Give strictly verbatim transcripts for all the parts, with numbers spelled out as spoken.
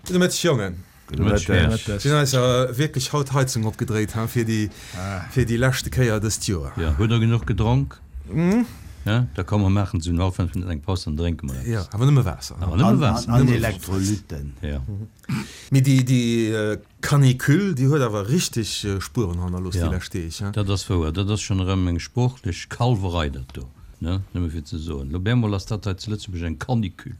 Gudde Mëtteg, Jongen. Gudde Mëtteg. Sinn eis wierklech haut d'Heizung opgedréit, ha, fir déi, fir déi leschte Kéier dëst Joer. Jo, hutt der genuch gedronk? Ja, da komm mer maachen esou hallef fënnef eng Paus, dann drénke mer eppes. Jo, awer nëmme Waasser. Awer nëmme Waasser. An Elektrolytten. Jo. Mee déi, déi Canicule, déi huet awer richteg Spueren hannerlooss déi lescht Deeg, ha? Dat ass wouer. Dat ass schonn erëm eng sproochlech Kalwerei, dat do. Ne, nëmme fir ze soen, lo bemol ass dat hei zu Lëtzebuerg eng Canicule.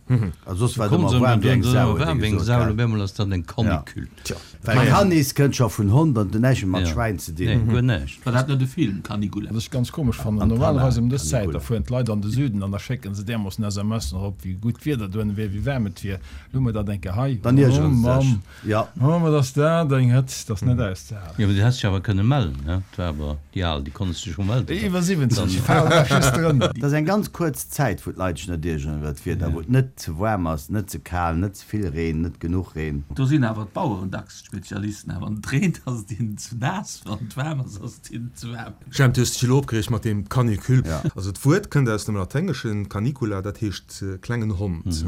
A soss war et ëmmer waarm wéi eng Sau, huet ee gesot, gell? Lo bemol ass dat eng Canicule. Tja. Well Canis kënnt scho vun Hond an huet näischt méi mat Schwäin ze dinn. Nee, guer näischt. War dat net e Film, Caligula? Wat ech ganz komesch fannen, normalerweis ëm dës Zäit, da fueren d'Leit an de Süden an da schécken se därmoossen S M Sen erop, wéi gutt d'Wieder dohinne wier, wéi waarm et wier. Lo hu mer dat eng Kéier hei. Dann iergere Oh se sech. Mamm, Jo. oh, wat ass dat eng Hëtzt, dat ass net auszehalen. Jo, mee du häss dech awer kënne mellen, ne? Et war awer déi Al, déi konntest dech scho melden. Déi iwwer siwwenzeg falen nach just drënner. Dat ass eng ganz kuerz Zäit, wou d'Leit sech net iergeren iwwer d'Wieder, wou et net ze waarm ass, net ze kal, net ze vill Reen, net genuch Reen. Do sinn awer d'Baueren dacks d'Spezialisten. Wann et reent, ass et hinnen ze naass, wann et waarm ass, ass et hinnen ze waarm. Jemp, du hues dech elo opgereegt mat deem Canicule. Also d'Wuert kënnt aus dem Laténgeschen canicula, dat heescht klengen Hond.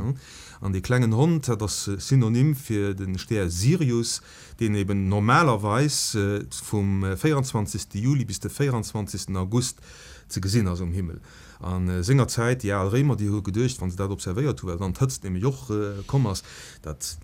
An dee klengen Hond, dat ass Synonym fir de Stär Sirius, deen eben normalerweis vum véierundzwanzegste Juli bis de véierundzwanzegsten August ze gesinn ass um Himmel. A sengerzäit, déi al Réimer, déi hu geduecht, wa se dat observéiert hu, well dann d'Hëtzt nämlech och komm ass, datt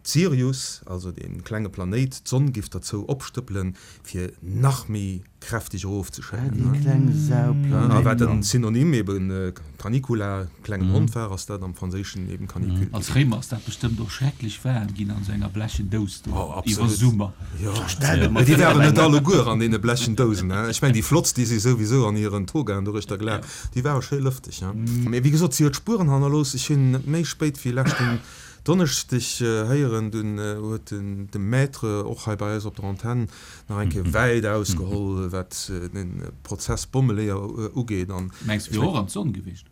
Sirius, also dee klenge Planéit, d'Sonn giff derzou opstëppelen, fir nach méi kräfteg Ah, erofzeschéien. déi kleng Sau A wat Planéit. den Synonym eben Canicula, klengen Hond war, ass dat am Franséischen eben Canicule Als ginn. Réimer ass dat bestëmmt och schrecklech waarm ginn an esou enger blechen Dous do Oh, iwwer absolut. Summer. Jo, Stell der mä mol déi vir, waren eng net alleguer an deene blechen Dousen, hein. Ech mengen, déi flottst, déi si souwisou an hiren Togaen doruechter gelaf, déi ware schéi lëfteg, hein. Mä wéi gesot, si huet Spueren hannerlooss. Ech hunn net méi spéit wéi leschten Donneschdeg héieren, dunn huet den de Maître och hei bei eis op der Antenn nach eng Kéier wäit ausgeholl, wat de Prozess Bommeleeër ugeet. An Mengs ech wier meng. och an d'Sonn gewiescht?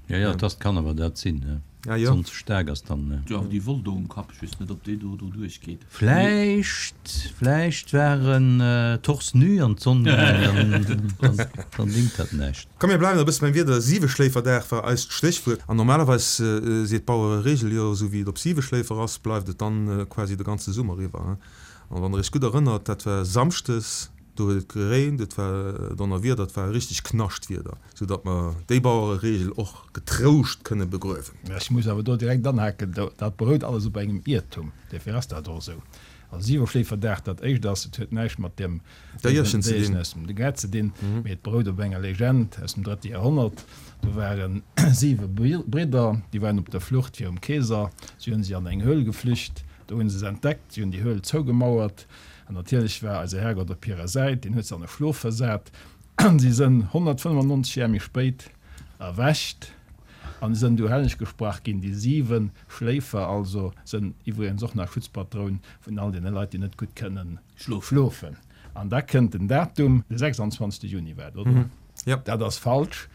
Jo, jo, et ass, kann awer dat sinn, ne? Ah jo. D'Sonn ze staark ass dann, ne? Jo, awer déi Woll do um Kapp, ech weess net, ob déi do doduerch geet. Vläicht, vläicht war en torse nu an d'Sonn gaangen, dann, dann dingt dat näischt. Komm mir bleiwen e bësse beim Wieder, Siweschléiferdag war eist Stéchwuert. An normalerweis seet d'Bauereregel jo, esou wéi et op Siweschléifer ass, bleift et dann quasi de ganze Summer iwwer. An wann der iech gutt erënnert, dat war samschdes, do huet et gereent, et war Donnerwieder, et war richteg Knaschtwieder, sou datt mer déi Bauereregel och getrouscht kënne begruewen. Ech muss awer do direkt anhaken, dat berout alles op engem Iertum, duerfir ass dat och esou. Also Siweschléiferdag, dat éischt ass, et huet näischt mat deem Déierchen ze Déierchen dinn. aus dem Gaart ze dinn, mee et berout op enger Legend aus dem drëtte Joerhonnert. Do ware siwe Bridder, déi waren op der Flucht virum Keeser. Si hunn si an eng Höhl geflücht, do hunn se se entdeckt, si hunn déi Höhl zougemauert an natierlech war eise Herrgott op hirer Säit, deen huet se an e Schlof versat. Si sënn honnertfënnefannonzeg Jar méi spéit erwächt an sënn du helleg gesprach ginn. Déi siwe Schléifer also sënn iwwregens och nach Schutzpatroun vun all deene Leit, déi net gutt kënnen schlofen. An da kënnt den Datum, de sechsandzwanzegste Juni war et, oder? Jo. Dat ass falsch,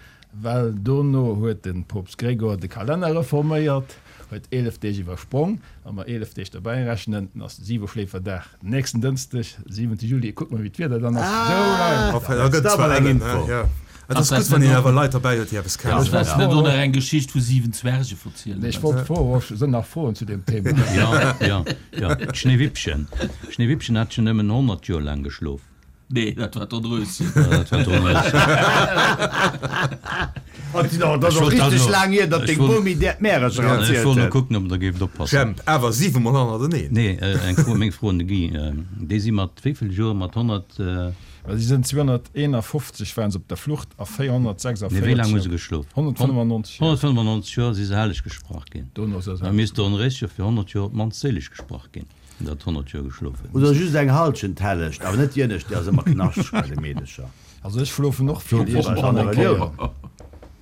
well dono huet de Poopst Gregor de Kalenner reforméiert, huet eelef Deeg iwwersprong. Wa mer eelef Deeg derbäi rechnen, dann ass de Siweschléiferdag nächsten Dënschdeg, siwente Juli. Kuckt mol, wéi d'Wieder dann ass. Esou laang! Enfin, da gëtt Dat zwar awer eng ellen, Info. ja. Et ass Ass gutt, wann dat een net awer och Leit derbäi huet, déi eppes kennen. Ass dat net och nach eng Geschicht vu siwen Zwerge verzielen? Nee, ech wollt froen, och sënn nach Froen zu deem Thema. Jo, jo, jo. D'Schneewippchen. D'Schneewippchen hat schon nëmmen honnert Joer laang geschlof. Nee, dat war d'Dornröschen. Jo, dat war d'Dornröschen. Dat ass och richteg laang hier, datt deng Bomi där d'Märercher Ech erzielt wollt no huet. kucken, ob der géift oppassen. Jemp, awer siwe mol hannerteneen. Nee, eng Fro, meng Fro un de Guy. Déi si mat wéi vill Joer? Mat honnert. Well si sënn zweehonnerteenafofzeg waren se op der Flucht a Nee, wéi laang hu véierhonnertsechsundvéierzeg se geschlof? honnertfënnefannonzeg Joer. Honnertfënnefannonzeg Joer si se helleg gesprach ginn. Dono se Da helleg misst d'Dornréische fir honnert Joer op d'mannst séileg gesprach ginn, dat honnert Joer geschlof huet. Oder just eng Halschent helleg, awer net déi ënnescht, déi ass ëmmer knaschteg bei de Meedecher. Also ech schlofen och vill, Bei iergendwann eng der Kéier. Relioun.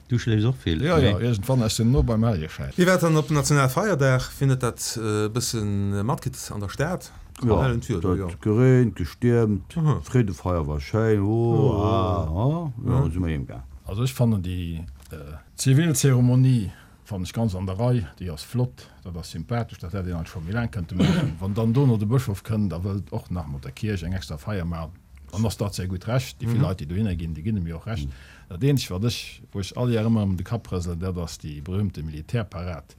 Du schléifs och vill? Jo, jo, iergendwann, ech sinn no beim Hellegeschäin. Wie war dann op Nationalfeierdag? Wien huet dat e bësse matkritt an der Stad? Jo, Hellen et Wieder, jo. huet gereent, gestiermt, Mhm. Freedefeier war schéin, oh, ah, ah, jo, si mer heem gaang. Also ech fannen déi Zivilzeremonie fannen ech ganz an der Rei, déi ass flott, dat ass sympathesch, dat hätt een eigentlech scho méi laang kënnte maachen. Wann dann dono de Bëschof kënnt a wëllt och nach mat der Kierch eng extra Feier maachen, dann ass dat säi gutt Recht. Déi vill Leit, déi dohinner ginn, déi ginn em jo och Recht. Dat eenzegt, wat ech, wou ech all Jar ëmmer erëm de Kapp rëselen, dat ass déi berühmte Militärparad.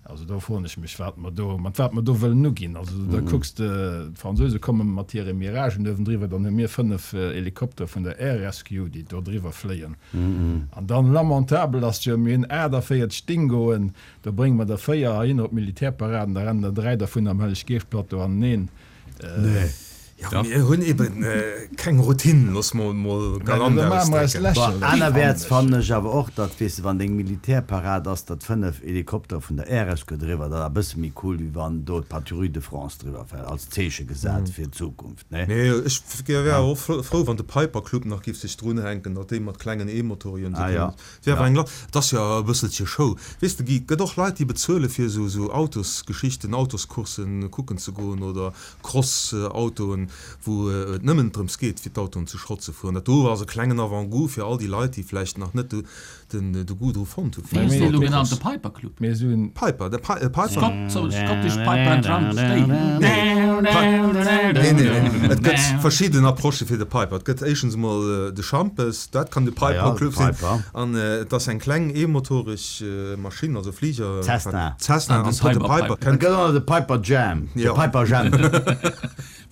Also do froen ech mech, wat mer do, mat wat mer do wëllen uginn. Also da kucks de, d'Fransouse komme mat hire Miragen uewendriwwer, dann hu mir fënnef Helikopter vun der Air Rescue, déi do driwwer fléien. An dann, lamentabel ass jo, mir hunn aachtavéierzeg Dingoen, do brénge mer der véier heihinner op d'Militärparaden, da rennen der dräi dervun am Helleg-Geescht-Plateau aneneen. Jo, mir hunn eben keng Routine, looss mer mol galant ausdrécken. Bon, anerwäerts fannen ech awer och, datt, weess de, wann deng Militärparad ass, datt fënnef Helikoptere vun der Air Rescue driwwer, dat ass e bësse méi cool, wéi wann do d'Patrouille de France driwwer fält, als Zeeche gesat fir d'Zukunft, ne? Nee, ech wär awer och frou, wann de Piper Club nach giff sech drunhänken, datt déi mat klengen E-Motorien esou kënnen. Et wär awer eng, et ass jo e bësselche Show. Weess de, Guy, et gëtt och Leit, déi bezuele fir esou, esou Autosgeschichten, Autoscourssen kucken ze goen oder Cross-Autoen, wou et nëmmen drëms geet, fir d'Autoen zu Schrott ze fueren. Dat do ass e klengen Avant-goût fir all déi Leit, déi vläicht nach net de Goût dru fonnt hu fir Wéi ass dee lo genannt, de Piper Club? Mir hunn. Piper, de Piper. Scott, Scottish Piper and Drum State. Nee, nee, nee, et gëtt verschidden Approchë fir de Piper. Et gëtt éischtens emol de Schampes, dat kann de Piper Club sinn. An et ass eng kleng eemotoreg Maschinn, also Fliger. Cessna. Cessna an de Piper. Et gëtt och nach de Piper Jam, de Piper Jam.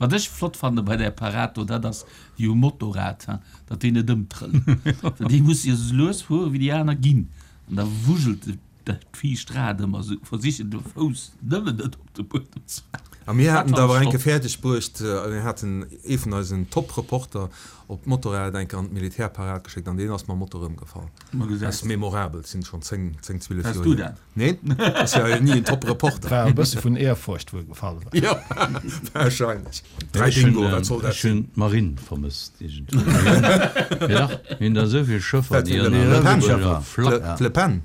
Wat ech flott fanne bei där Parad do, dat ass déi um Motorrad, datt déi net ëmtrëllen. Well déi musse jo esou lues fuere wéi déi aner ginn. An da wuschelt dat viischt Rad ëmmer esou, versichen de Fouss nëmmen net op de Buedem ze maachen. A mir haten et awer eng Kéier fäerdeg bruecht, mir haten ee vun eisen Top-Reporter op d'Motorrad eng Kéier an d'Militärparad geschéckt an deen ass mam Motor ëmgefall. Dat ass memorabel, sinn schonn zéng, zéng, zwielef Waars Joer du hier. dat? Neen, ass jo ni en Top-Reporter. War e bësse vun Ehrfurcht, wou e gefall war. Jo, wahrscheinlech. Dräi Ech hunn Dingo, wat soll dat ech hunn sinn? d'Marine vermësst iergendwéi. Mee dach, mir hunn der esou vill Schëffer, Wat déi fir an Le der Pen? Lëtzebuerger Flagg. Le Pen?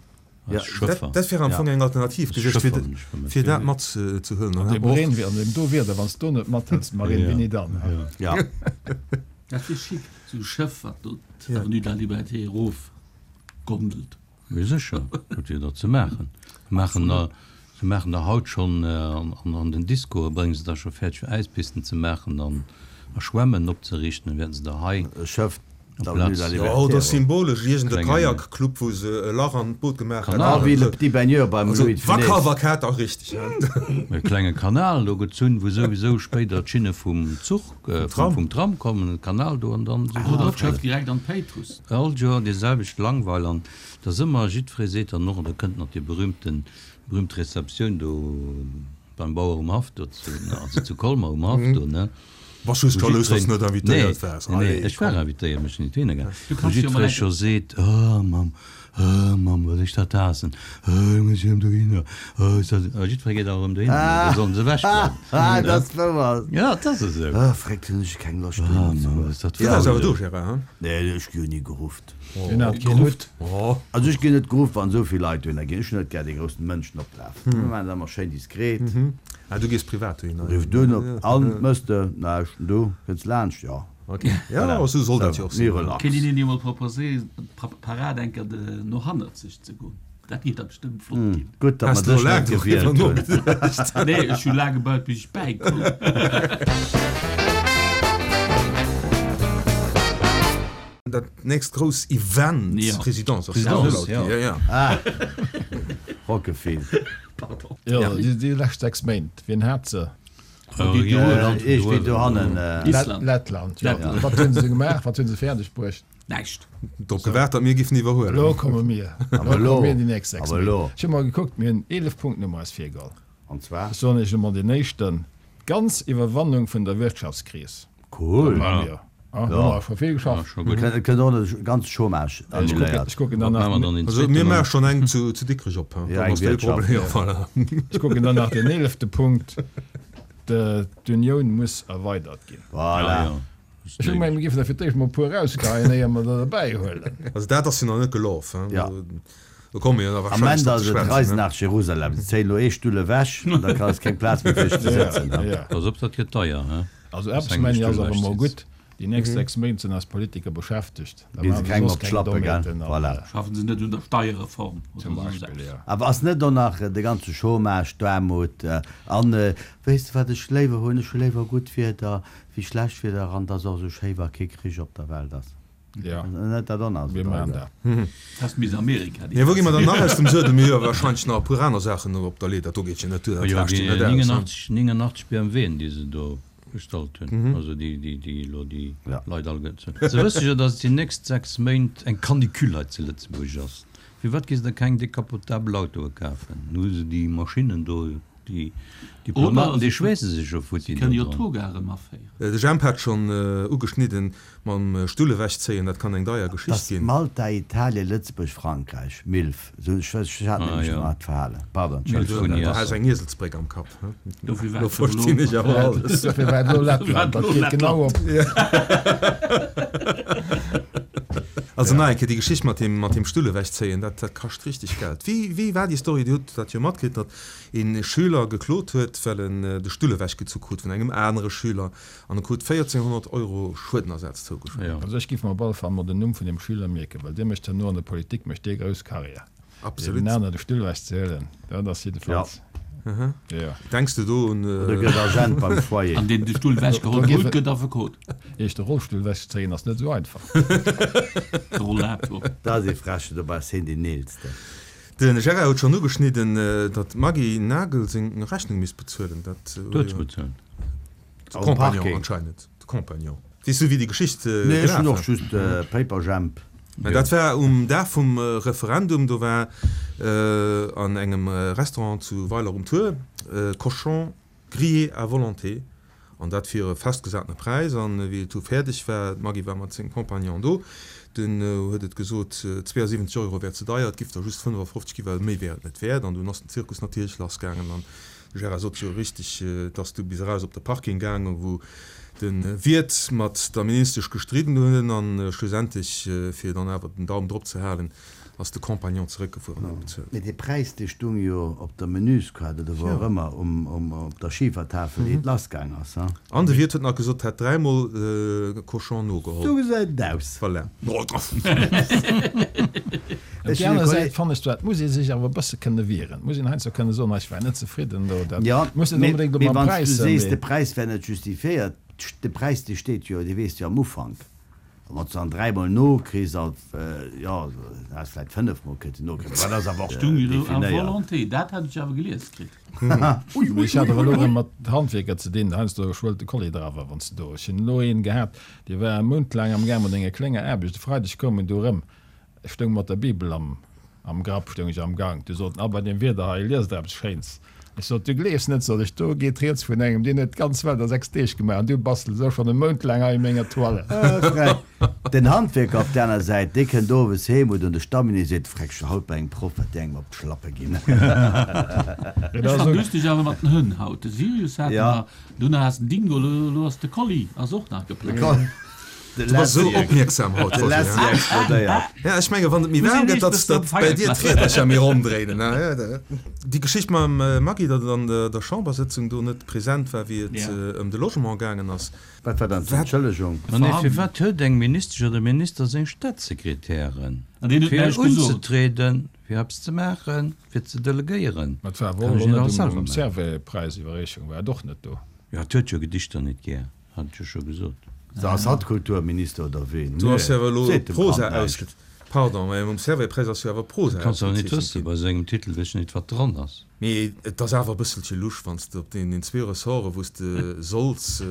Als Schëffer. Dat wär am Fong eng Alternativ gewiescht, Schëffer hunn ech vermësst. fir dat matzehuelen. An deem Reen, an deem do Wieder, wann s du net mathëls, d'Marine, wéini dann? Ja. Dat wier chic, esou e Schëff, wat do d'Avenue de la Liberté erof gondelt. Mee sécher, wat wier da ze maachen? Se maachen der, se maachen der haut schonn an den Discoe brénge se da scho fäerdeg fir Äispisten ze maachen an a Schwämmen opzeriichten, da wäerten se der hei E Schëff d'Avenue de la Jo, Liberté oder erop. symbolesch iergend e Klengen Kajakclub, wou se e Lach an d'Boot gemaach hätten. Ah, wéi Le Petit Baigneur beim Also Louis de Funès. Wacker war Kater richteg, hein. E klenge Kanal do gezunn, wou souwisou spéider d'Schinne vum Zuch, vum, vum Tram kommen, e Kanal do an dann esou Oder drop d'Schëff stellen. direkt an d'Péitruss. All Joer déi selwecht Langweil an da ass ëmmer, jiddweree seet dann och, an da kënnt nach déi berühmten, berühmt Receptioun do beim Bauer um Haff do zu, also zu Colmer um Haff do, ne? Bass just Wou jalous, dass jiddwereen, du net nee, invitéiert waars. nee, nee, Allez, ech war komm. invitéiert, mee ech sinn net dohinner gaangen. Du Wou kanns jo mol jiddweree eng. scho seet, Oh Mamm, oh Mamm, wat ech dat haassen, oh, muss ech erëm dohinner, oh, is dat, a jiddweree geet awer erëm dohinner, da sollen se ewech bleiwen. Ah, dat ass wouer. Ja, dat ass esou. Ah, fréck, hunn ech keng Loscht Ah, dohinner ze Mamm, goen. is dat Du waars awer do, faul. Gérard, hein? Nee, ech gi jo ni gerufft. Hien hat keen Hutt. Oh. Also ech ginn net geruff, wann esou vill Leit dohinner ginn. Ech hunn net gär dee groussen Mënschenoplaf. Mir maachen dat ëmmer schéin diskret. Ah, du gees privat dohinner. Riff dunn op an, Mëss de näischt? An du, kënns laanscht? Jo. Ok. Ja, esou soll dat jo och Méi sinn. relax. Kéint een jo mol proposéieren, d'Parad eng Kéier no hannerzeg ze goen. Dat géif da bestëmmt flott ginn. Gutt, datt Has mer du dech laang net doriwwer gewielt hunn. nogeduecht? Nee, ech hu laang gebaut, bis ech bäikoum. Dat nächst grouss Event, Ja. Présidence, ass Présidence, ja. ja. Ja, ja. Ah, Rockefilm. Pardon. Jo, déi, déi lescht sechs Méint, wien hat se? Oh, déi jo, do- Land Ech wéi do dohannen. Äh, Island. Lettland, jo. Lettland. Wat hunn se gemaach? Wat hunn se fäerdeg bruecht? Näischt. Drop gewaart, datt mir giffen iwwerhuelen. Elo komme mir. Awer Elo elo. komme mir déi nächst sechs Awer Méint. elo. Ech hu mol gekuckt, mir hunn eelef Punkten hu mer eis virgeholl. An zwar? Ech soen iech emol deen éischten, D'ganz Iwwerwannung vun der Wirtschaftskris. Cool. Dat maache mir. Ah, hu mer scho vill Ja, geschafft. scho gutt. Et kënnt och de ganze Chômage Ech kucken, annuléiert. ech kucken dann Wat nach, maache mer dann den Also mir zweeten maache an? schonn eng zu, zu Dikrech op, hein. Ja, Dann eng ass dee Wirtschaft. Problem, ja, voilà. ech kucken dann nach den eelefte Punkt, D'Unioun muss erweidert ginn. Voilà. Ja, ja. Ech hu gemengt, mir géifen der fir d'éischt mol e puer erausgeheien, éier mer der derbäi huelen. Also dat ass jo nach net gelaf, hein. Ja. Do komme mir jo nach Am wahrscheinlech Ende drop ass ze et schwätzen, Reisen hein. nach Jerusalem. Se zéien elo ee Stull ewech an da ass keng Plaz méi fir dech ze sëtzen. Ja, ja. Pass op, dat gëtt deier, hein. Also Dass eppes eng mengen ech ass Stull awer ewech mol sitzt. gutt, déi nächst sechs Méint sinn eis Politiker beschäftegt. Da Gi se maache se kengem soss op keng d'Schlappe, gell? Dommheeten an, Voilà. äh, Schaffen se net un der Steierreform oder Zum soss Beispill, eppes. ja. Awer ass net och nach de ganze Chômage, d'Aarmut an, weess de wat ech léiwer hunn? Ech hu léiwer gutt Wieder wéi schlecht Wieder an et ass och esou schéi wa kee Krich op der Welt ass. Ja. Net dat och nach esou Mir maachen deier. dat. Ass bis Amerika déi Nee, wou gi mer dann nach aus dem Suedel? Mir hu jo wahrscheinlech nach e puer aner Saachen op der Lee. Dat do geet jo net duer, dat Jo, laascht déi jo net aus. neunundachtzig neunundachtzig B M W'en, déi se do bestallt hunn, also déi, déi, déi elo déi Ja. Leit all gëtt. Se wësse jo, datt déi nächst sechs Méint eng Canicule hei zu Lëtzebuerg ass. Firwat gi se da keng decapotabel Autoe kafen? Nu hu se déi Maschinnen do, déi Diplomaten, déi schweesse sech jo futti Kënne jo do dran. d'Toga erëm aféieren. De Jemp hat schonn ugeschnidden, mam Stull ewechzéien, dat kann eng deier Geschicht Dass ginn. Malta, Italien, Lëtzebuerg, Frankräich, MILF, esou ech ech hat Ah, nämlech jo. nach d'Verhalen. Pardon, MILF Entschëllegung. vun Du has Iesser. eng Ieselsbréck am Kapp, he? Dofir war Lo et elo verstinn ech awer alles. Dofir war et elo Lettland, dat geet genau op. Also nach eng Kéier, déi Geschicht mat deem, mat deem Stull ewechzéien, dat, dat kascht richteg Geld. Wéi, wéi war déi Story? Dir hutt dat jo matkritt, datt ee Schüler geklot huet, well en de Stull ewechgezu krut vun engem anere Schüler an e krut véierzénghonnert Euro Schuedenersaz zougesprach. Jo. Also ech giff mer op alle Fall mol den Numm vun deem Schüler mierken, well dee mécht herno an der Politik mécht dee grouss Karriär. Absolut. Deem aner de Stull ewechzehuelen, dat ass jiddefalls. Jo. Denks de do un. Oder gëtt Agent beim Foyer. An deen de Stull ewechgeholl Do huet, giff- gëtt Affekot. Iech de Rollstull ewechzéien ass net esou einfach. De Rollator. Dat ass ee Frechen, dobäi ass hien deen Eelsten. De Gérard huet schonn ugeschnidden, datt d'Maggy Nagel seng Rechnung misst bezuelen. Dat Huet se bezuelt. De Am Compagnon Parking. anscheinend. De Compagnon. Weess du, wéi déi Geschicht Nee, ech gelaf hunn war? och just Paperjamp. Mä dat war um Dag vum Referendum, do war an engem Restaurant zu Weiler um Tuer Cochon grillé à volonté, an dat fir e festgesatene Präis. An wéi et du fäerdeg war, d'Maggy war mat sengem Compagnon do, dunn huet et gesot, zweeasiwwenzeg Euro wär ze deier, et giff der just fënnefafofzeg ginn, well méi wär et net wäert. An dunn ass den Zirkus natierlech lassgaangen an de Gérard sot jo richteg, et ass du bis eraus op de Parking gaangen, wou de Wiert mat der Ministesch gestridden hunn an schlussendlech, fir dann awer den Daum drop ze halen, ass de Compagnon zeréckgefuer an huet bezuelt. Mee dee Präis, dee stung jo op der Menüskaart oder wou och ëmmer, um, op der Schifertafel, ier et lassgaang ass, ha? An de Wiert huet nach gesot, hätt dräimol Cochon nogeholl. Sou gesäit et aus. Voilà. Op Ech déi hunn e aner Kolleg. Säit fannen ech zwar, et muss ee sech awer e bësse kënne wieren. Et muss een heiansdo kënne soen, ech war net zefridden do. Dat Jo, muss net mee, onbedéngt mee ëmmer am wann s Präis du sinn, sees, mee. de Präis wär net justifiéiert, de Präis, dee steet jo, dee weess de jo am Ufank. A wann s du dann dräimol nokriss, als, jo, du häss vläicht fënnefmol kënnten nokriegen, mä dat ass awer och Stung jo do à definéiert. volonté, dat hat ech awer gelies kritt. Ui, ui, Ech hat awer elo erëm mat Handwierker ze dinn, heiansdo schwëllt de Kolli der awer, wann s de do. Ech hunn elo een gehat, dee war e Mount laang am Gaang mat enger klenger Aarbecht. E Freideg koum en do erëm, ech stoung mat der Bibel am, am Grapp, stoung ech am Gank. Du sot en, Ah, bei deem Wieder hei, liest der eppes Schéins. Ech sot, Du gleefs net, sot ech, do geet rieds vun engem, deen huet d'ganz Welt a sechs Deeg gemaach an du bastels elo schonn e Mount laang hei u menger Toile. Den Handwierker op der aner Säit, dee kënnt owes heem, huet un de Stamminet, seet, Freck, ech war haut bei engem Proff, wat déi engem op d'Schlappe ginn. Ech fan lustig awer mat den Hënn haut. De Sirius hate Ja. mer, dunn ass den Dingo, lo lo ass de Collie ass och nach geplangt. De Du bass esou Lassie, opmierksam haut, de Roger, Lassie ja? explodéiert. Ja, ech menge wann et méi Muss waarm een gëtt, nicht datt bis zum datt bei dir Feierklass. d'Riedercher méi ronn dréinen, ne? Ja, da- Déi Geschicht mam Maggy, datt et an der der Chambersëtzung do net present war, wéi et Ja. ëm de Logement gaangen ass. Wat war dann Wat? d'Entschëllegung? Ma nee, firwat huet eng Ministesch oder e Minister seng Staatssekretären? An deen huet Fir näischt gesot. unzetrieden, fir eppes ze maachen, fir ze delegéieren. Ma et war awer Kann och ech elo net net alles um, selwer um maachen. Servais-Präisiwwerreechung war et och net do. Ja, et huet jo Gedichter net gär, hat ech jo scho gesot. So ass hatt Kulturminister oder wéi? Du has jo awer elo Seet dem Prosa Kand näischt. ausge-, pardon, mä um Servais-Präis ass jo awer Prosa Kanns awer net ausgezeechent wëssen, ginn. bei sengem Titel weess ech net, wat dran ass. Mee et ass awer e bësselche lusch, wann s de op deenen zwee Ressorte, wou s de solls,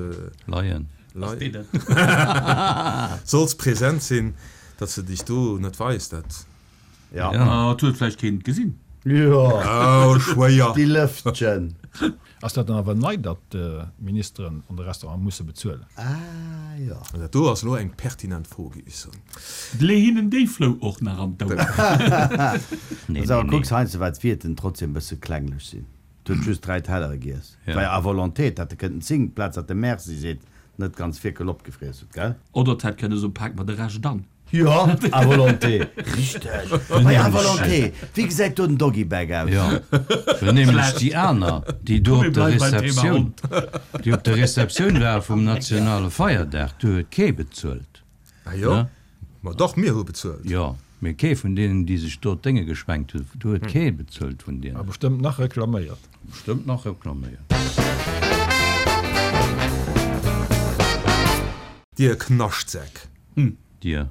Leien. Ass lei-, deen dat? solls present sinn, datt s de dech do net weis, dat. Ja. Ja. Ah, et huet vläicht keen gesinn. Jo. Oh, schwéier. Déi Lëftchen. Ass dat dann awer nei, datt d'Ministeren an de Restaurant musse bezuelen? Ah, jo. Dat do ass elo eng pertinent Fro, géif ech soen. Lee hinnen déi Flou och nach an d'Ouer. Nee, Also, nee, nee. kucks heiansdo, wat d'Wierten trotzdem e bësse klenglech sinn. Du huet just dräi Tellere giess. Ja. War jo à volonté, et hätt e kënnten zéng, plaz datt de Merci seet, net ganz Fierkel opgefriess huet, gell? Oder et hätt kënne soen, Pak mer de Rescht an. Jo, à volonté. Richteg. Bei à volonté. Wéi gesäit do den Doggy-Bag aus? Jo, well nämlech déi aner, déi do Komm, op mir der bleiwen beim Thema Receptioun, Hond. déi op der Receptioun war vum nationale Feierdag, do huet kee bezuelt. Ah jo? Ne? Ma dach, mir hu bezuelt. Jo, mee kee vun deenen, déi sech do d'Dénge geschwenkt hunn, do huet kee bezuelt vun A deenen. bestëmmt nach reklaméiert. Bestëmmt nach reklaméiert. Dir Knaschtsäck. Dir.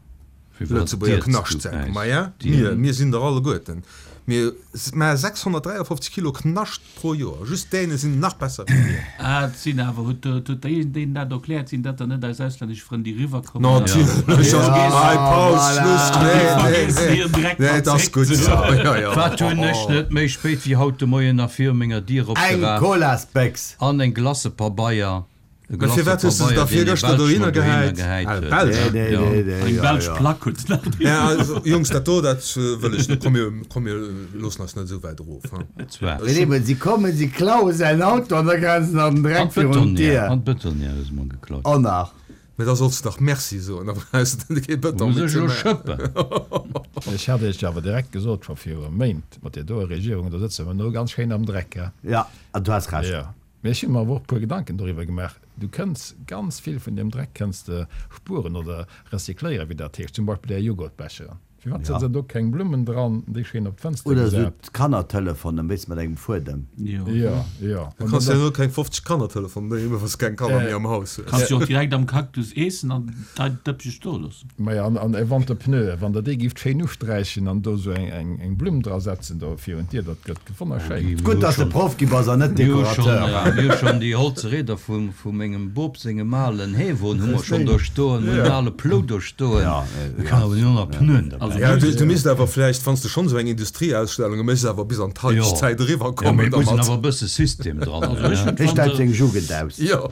Lëtzebuerger Knaschtsäck. Maja, mir, mir sinn der alleguerten. Mir maache sechshonnertdräiafofzeg Kilo Knascht pro Joer. Just d'Däne sinn nach besser wéi mir. Ah, et sinn awer, huet huet deen dat erkläert, sinn dat dann net eis auslännesch Frënn, déi eriwwerkommen? Natierlech! Hei, Paus, Schluss, nee, nee, nee, nee, et ass gutt esou. Jo, jo. Wat hunn ech net méi spéit wéi haut de Moien nach viru menger Dier Eng opgeraf Colasbéchs! an eng Glacëpabeier. E Mä firwat hues de se da Glacëpabeier, deen ee virgëschter Belsch dohinner mer dohinner gehäit? gehäit Ah, huet. Belsch? Nee, nee, Ja. nee, nee, Eng jo, belsch jo. Plack huet se nach Ja, dohinner. also, Jungs, dat do, dat wëll ech net. Komm, mir, komm, mir loossen eis net esou wäit erof, hein. Zwar. Nee, nee, si kommen, si klaue säin Auto an da gräifen se nach den An Dreck virun d'Bëtonnière, d'Dier. an d'Bëtonnière hu se mer geklaut. Och nach. Mä da solls de dach Merci soen, da brauchs de kee Bëton Muss méi ech ze elo maachen. schëppen? Ech hat Iech awer direkt gesot, scho viru Méint, mat där doer Regierung, do sëtze mer no ganz schéin am Dreck, he? Ja, an du has Recht. Jo. Mee ech hu mer awer och e puer Gedanken doriwwer gemaach. Du kënns ganz vill vun deem Dreck kënns de spueren oder recycléieren, wéi dat heescht, zum Beispill är Joghurtbecheren. Firwat setzt der do keng Blummen dran, déi schéin op d'Fënster Oder esou gesat? d'Kannertelefonen, weess, mat engem Fuedem. Jo. Jo, jo. Du kanns jo elo keng fofzeg Kannertelefonen doheem hunn, wann s de keng Kanner méi am Haus hues. Kanns jo och direkt am Cactus eessen an däin Dëppche stoe loossen. Maja, an, an wann de Pneue, wann der déi gifft schéin usträichen an do esou eng, eng, eng Blumm dra setzen do virun d'Dier, dat gëtt wonnerschéin. Gutt, dass de Proff gi bass an net Mir hu schonn, Dekorateur. mir hu schonn déi holze Rieder vu, vu mengem Bop sengem alen Heewon hu mer schonn do stoen, mir hunn en ale Plou do stoen. Ja, Da kann awer jo nach Pneuen derbäi. Also Ja, du, du misst awer vläicht, wann s de schonn esou eng Industrieausstellunge méchs, awer bis an Jo. d'Haiteg Zäit eriwwer Ja, kommen mee et muss een dermat. awer e bësse System dran Also hunn, ech ne? hunn Hie stellt d'Wanter, seng Jugend aus. Jo.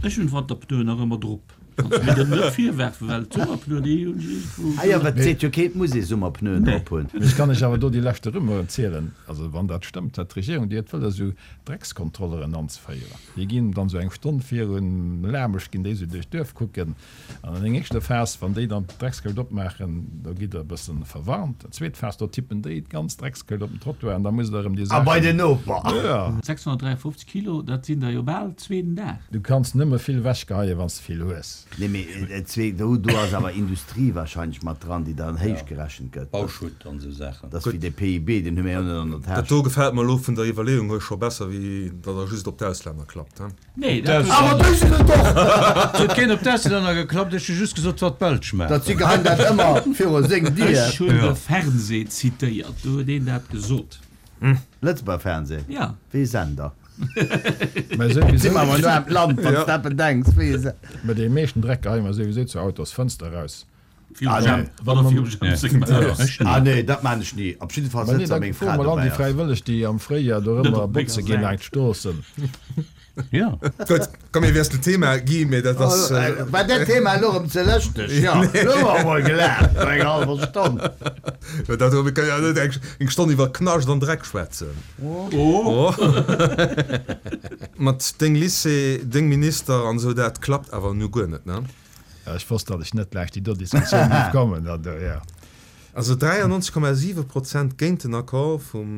ech hunn d'Wanterpneuen nach ëmmer drop. Kanns du mir dat net virwerfen, well d'Summerpneuen, déi hunn ech iergendwou. Ah jo, wat seet jo keen, et muss ee Summerpneuen Nee. drop hunn. Mee ech kann lech awer do déi leschte Rumeuren zielen, also wann dat stëmmt, dat d'Regierung, déi huet wëlles esou Dreckskontrolleren anzeféieren. Déi ginn dann esou eng Stonn virun Lamesch ginn déi esou duerch d'Duerf kucken. An an eng éischter Phas, wann déi dann d'Dreckskëscht opmaachen, do gitt der e bëssen verwarnt. Zweet Phas, do tippen déi d'ganz Dreckskëscht op den Trottoir an da musst der erëm déi A bei Saachen. den Noper. Jo. sechshonnertdräiafofzeg Kilo, dat sinn der jo bal zwee den Dag. Du kanns nëmme vill wechgeheien, wann s de vill hues. Nee, mee zwee, do, do ass awer Industrie wahrscheinlech mat dran, déi dann héich gerechent gëtt. Bauschutt an esou Saachen. Dat ass wéi de P I B, deen hu mir jo net an der Dat Täsch. do gefält mer elo vun der Iwwerleeung hier scho besser, wéi datt der just op d'Auslänner klappt, he? Nee, dat huet. Awer déi sinn et och! Et huet keen op d'Auslänner geklappt, ech hu just gesot, wat d'Belsch Dat si maachen. geheien dat ëmmer viru seng Dier. Ech hunn Ja. de Fernseh zitéiert, do huet een dat gesot. Lëtzebuerger Fernseh? Ja. Wéi e Sender? Mä Si souwisou, mer awer no am Land, wann s Ja. de eppes denks, wéi e Sender. mä dee meeschten Dreck geheie mer souwisou zur Autosfënster raus. Virum Ah, Jam, nee. wann der virum Jam seng Maach ass. Ech Ah net. nee, dat maan ech ni. Op jidde Fall Mä nee, sëtzt da da meng froe Fra mol an dobäi déi ass. Fräiwëlleg, déi am Fréijoer do Net ëmmer op menger botze ginn Säit. laangt d'Stroossen. Ja. Gutt, komm, mir wiesselen d'Thema, Guy, mee dat ass. War dat Thema elo erëm ze lëschteg? Jo, elo hu mer emol gelaacht, no enger hallwer Stonn. Jo, dat, mir kënnen jo net eng, eng Stonn iwwer Knascht an Dreck schwätzen. Oh! Oh. Mat deng Lycée, deng Minister an esou, dat klappt awer nu guer net, ne? Ja, ech wosst, datt ech net gläich déi do Diskussioun géif kommen, dat do, ja. Also dräiannonzeg Komma siwe Prozent géint den Accord vum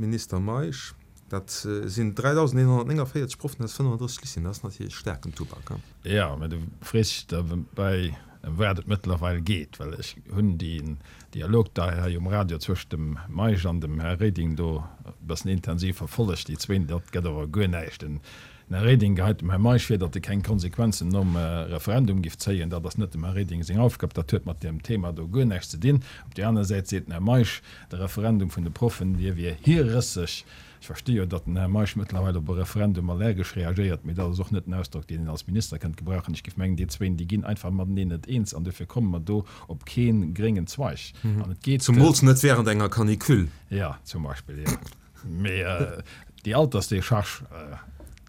Minister Meisch, dat sinn dräidausendeenhonnertnéngavéierzeg Proffen aus fënnefandrësseg Lycéeën. Dat ass natierlech staarken Tubak. Jo, mä du frees dech derbäi, ëm wat et mëttlerweil geet, well ech hunn deen Dialog da hei um Radio zwëscht dem Meisch an dem Här Reding do e bëssen intensiv verfollegt. Déi zwéin, dat gëtt awer guer näischt. Den Här Reding geheit dem Här Meisch vir, datt e keng Konsequenzen nom Referendum giff zéien. Dat ass net dem Här Reding seng Aufgab, dat huet mat deem Thema do guer näischt ze dinn. Op där aner Säit seet den Här Meisch, de Referendum vun de Proffen, dee wier hierrësseg. Ech versti jo, datt den Här Meisch mëttlerweil op e Referendum allergesch reagéiert, mee dat ass och net en Ausdrock, deen een als Minister kënnt gebrauchen. Ech giff mengen, déi zwéin, déi ginn einfach mateneen net eens an dofir komme mer do op kee gréngen Zweig. An et geet. Zumools net während enger Canicule. Jo, zum Beispill, jo. Mee déi Altersdécharge,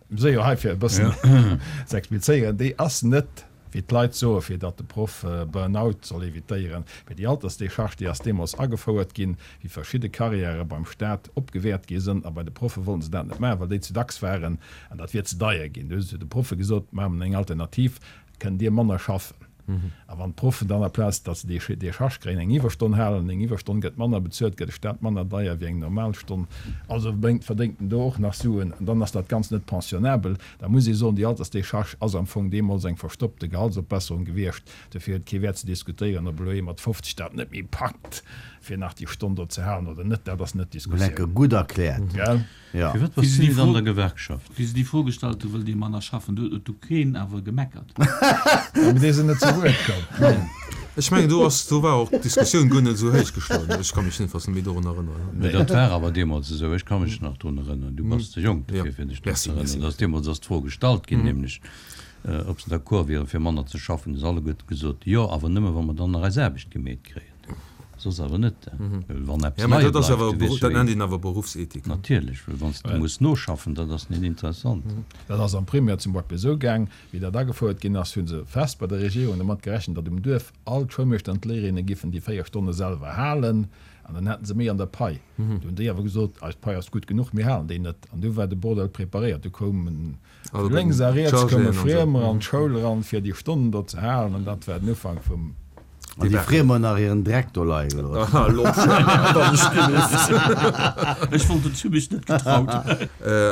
mir si jo hei fir e bëssen ze explizéieren, déi ass net, wéi d'Leit soen, fir datt de Proff Burn-out soll evitéieren, mee déi Altersdécharge, déi ass deemools agefouert ginn, wéi verschidde Karriäre beim Staat opgewäert gi sënn. A bei de Proffe wollten se dat net maachen, well déi ze dacks waren an dat wier ze deier ginn. Du hu se de Proffe gesot, Maache mer eng Alternativ, kënnt Dir manner schaffen. A wann d'Proffen dann aplaz datt se déi Décharge kréien, eng Iwwerstonn halen, eng Iwwerstonn gëtt manner bezuelt, gëtt de Staat manner deier wéi eng normal Stonn, also bréngt, verdéngt en do och nach Suen, an dann ass dat Ganzt net pensionnabel. Da muss ee soen, déi Altersdécharge ass am Fong deemools eng verstoppte Gehaltsopbesserung gewiescht. Dofir huet kee Wäert ze diskutéieren, ob elo ee mat fofzeg dat net méi packt, fir nach déi Stonn do ze halen oder net. Dat ass net Lecker, d'Diskussioun. gutt erkläert. Gell? Ja. Firwat Wéi bass se du déi net an Fro, der Gewerkschaft? wéi se déi Fro gestallt hu, wëllt Dir manner schaffen, do huet du keen awer gemeckert. Mee déi sinn net zu Wuert komm. Ech mengen do ass, do war och d'Diskussioun guer net esou héich geschloen. Ech ka mech jedenfalls net méi dorun erënneren. Mee dat war awer deemools esou. Ech ka mech nach drun erënneren. Du bass ze jonk Ja. dofir, fir dech drun Merci, ze merci. erënneren. Dass deemools ass d'Fro gestallt ginn, nämlech ob se d'accord wieren, fir manner ze schaffen. Hu se alleguerte gesot, jo, awer nëmme wa mer dann nach eis Aarbecht gemeet kréien. Soss awer net. Well wann eppes Ja, mä leie dat ass bleift, awer, du weess jo dat eh. nennt een awer Beruffsethik. Natierlech, well wann s de muss noschaffen, dat ass net interessant. Dat ass am Primaire zum Beispill esou gaang, wéi dat agefouert ginn ass, hu se fest bei der Regierung domat gerechent, datt um Duerf all d'Schoulmeeschter an d'Léierinne giffen déi véier Stonne selwer halen an dann hätten se méi an der Pai. Du hunn déi awer gesot, eis Pai ass gutt genuch, mir halen déi net. An du war de Bordell preparéiert. Du koumen Also vu lénks a riets Chargéen koume an esou. Friemer an d'Schoul eran, fir déi Stonnen do ze halen an dat war den Ufank vum. An déi Friemer nach hiren Dreck do leie gelooss. Aha, lo wann ech gelooss. Ech wollt et, hu mech net getraut.